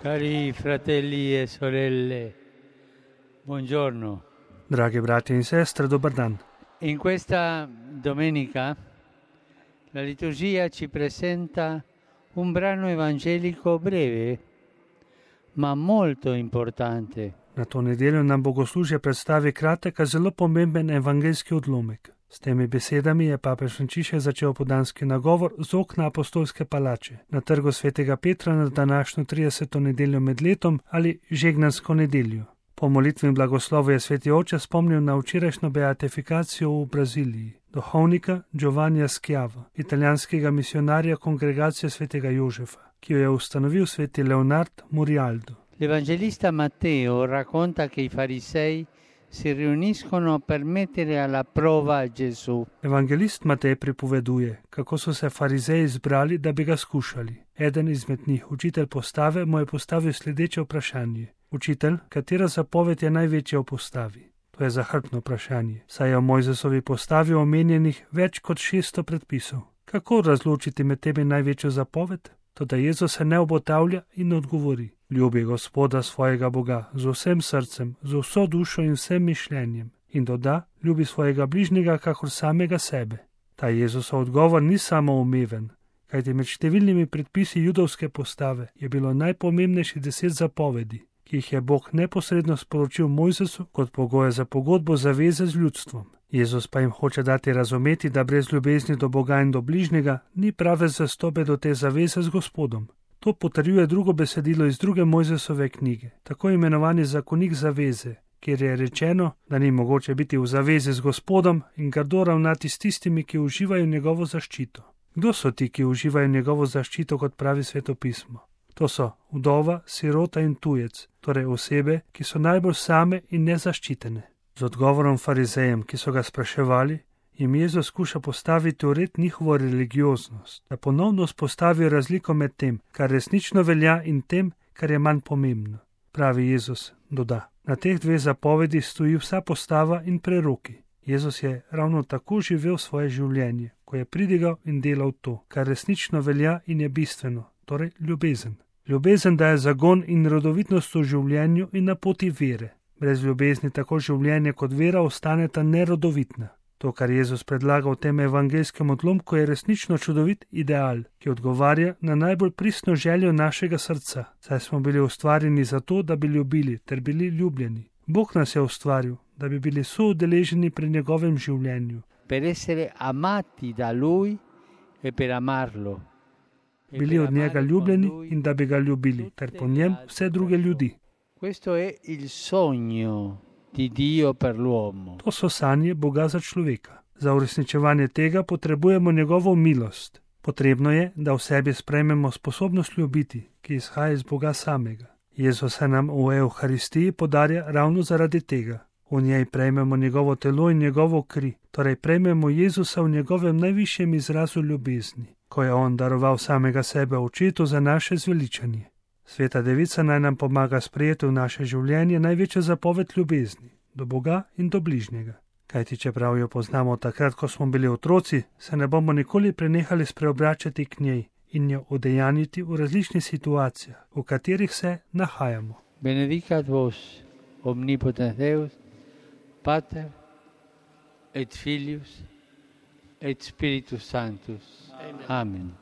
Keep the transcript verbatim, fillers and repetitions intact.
Cari fratelli e sorelle, buongiorno. Dragi brati in sestre, dobar dan. In questa domenica la liturgia ci presenta un brano evangelico breve, ma molto importante. Na to nedeljo nam bogoslužje predstavi kratek, a zelo pomemben evangeljski odlomek. S temi besedami je papež Frančišek začel podanski nagovor z okna apostolske palače na trgu svetega Petra na današnjo trideseto nedeljo med letom ali žegnansko nedeljo. Po molitvi in blagoslovu je sveti oče spomnil na včerajšnjo beatifikacijo v Braziliji, duhovnika Giovannija Schiava, italijanskega misionarja kongregacije svetega Jožefa, ki jo je ustanovil sveti Leonard Murialdo. L'Evangelista Matteo racconta che i farisei si riuniscono per mettere alla prova Gesù. Evangelist Matej pripoveduje, kako so se farizeji zbrali, da bi ga skušali. Eden izmed njih, učitelj postave, mu je postavil sledeče vprašanje. Učitelj, katera zapoved je največja v postavi? To je zahrbtno vprašanje, saj je v Mojzesovi postavi omenjenih več kot šeststo predpisov. Kako razločiti med temi največjo zapoved? Toda Jezus se ne obotavlja in odgovori. Ljubi Gospoda svojega Boga z vsem srcem, z vso dušo in vsem mišljenjem. In doda, ljubi svojega bližnjega kakor samega sebe. Ta Jezusov odgovor ni samo umeven, kajti med številnimi predpisi judovske postave je bilo najpomembnejših deset zapovedi, ki jih je Bog neposredno sporočil Mojzesu kot pogoje za pogodbo zaveze z ljudstvom. Jezus pa jim hoče dati razumeti, da brez ljubezni do Boga in do bližnjega ni prave zastope do te zaveze z Gospodom. To potrjuje drugo besedilo iz druge Mojzesove knjige, tako imenovani zakonik zaveze, kjer je rečeno, da ni mogoče biti v zavezi z Gospodom in grdo ravnati s tistimi, ki uživajo njegovo zaščito. Kdo so ti, ki uživajo njegovo zaščito, kot pravi Sveto pismo? To so vdova, sirota in tujec, torej osebe, ki so najbolj same in nezaščitene. Z odgovorom farizejem, ki so ga spraševali, jim Jezus skuša postaviti v red njihovo religioznost, da ponovno spostavijo razliko med tem, kar resnično velja, in tem, kar je manj pomembno. Pravi Jezus, doda. Na teh dveh zapovedih stoji vsa postava in preroki. Jezus je ravno tako živel svoje življenje, ko je pridigal in delal to, kar resnično velja in je bistveno, torej ljubezen. Ljubezen daje zagon in rodovitnost v življenju in na poti vere. Brez ljubezni tako življenje kot vera ostaneta nerodovitna. To, kar Jezus predlaga v tem evangelskem odlomku, je resnično čudovit ideal, ki odgovarja na najbolj pristno željo našega srca, saj smo bili ustvarjeni zato, da bi ljubili ter bili ljubljeni. Bog nas je ustvaril, da bi bili soudeleženi pri njegovem življenju. Per essere amati da lui e per amarlo. Bili od njega ljubljeni in da bi ga ljubili, ter po njem vse druge ljudi. Questo è il sogno di Dio per l'uomo. To so sanje Boga za človeka. Za uresničevanje tega potrebujemo njegovo milost. Potrebno je, da v sebi sprejmemo sposobnost ljubiti, ki izhaja iz Boga samega. Jezus se nam v Evharistiji podarja ravno zaradi tega. V njej prejmemo njegovo telo in njegovo kri, torej prejmemo Jezusa v njegovem najvišjem izrazu ljubezni, ko je on daroval samega sebe očetu za naše zveličanje. Sveta Devica naj nam pomaga sprejeti v naše življenje največjo zapoved ljubezni, do Boga in do bližnjega. Kajti čeprav jo poznamo takrat, ko smo bili otroci, se ne bomo nikoli prenehali spreobračati k njej in jo udejaniti v različnih situacijah, v katerih se nahajamo. Benedicat vos, omnipotens Deus, Pater et Filius et Spiritus Sanctus. Amen.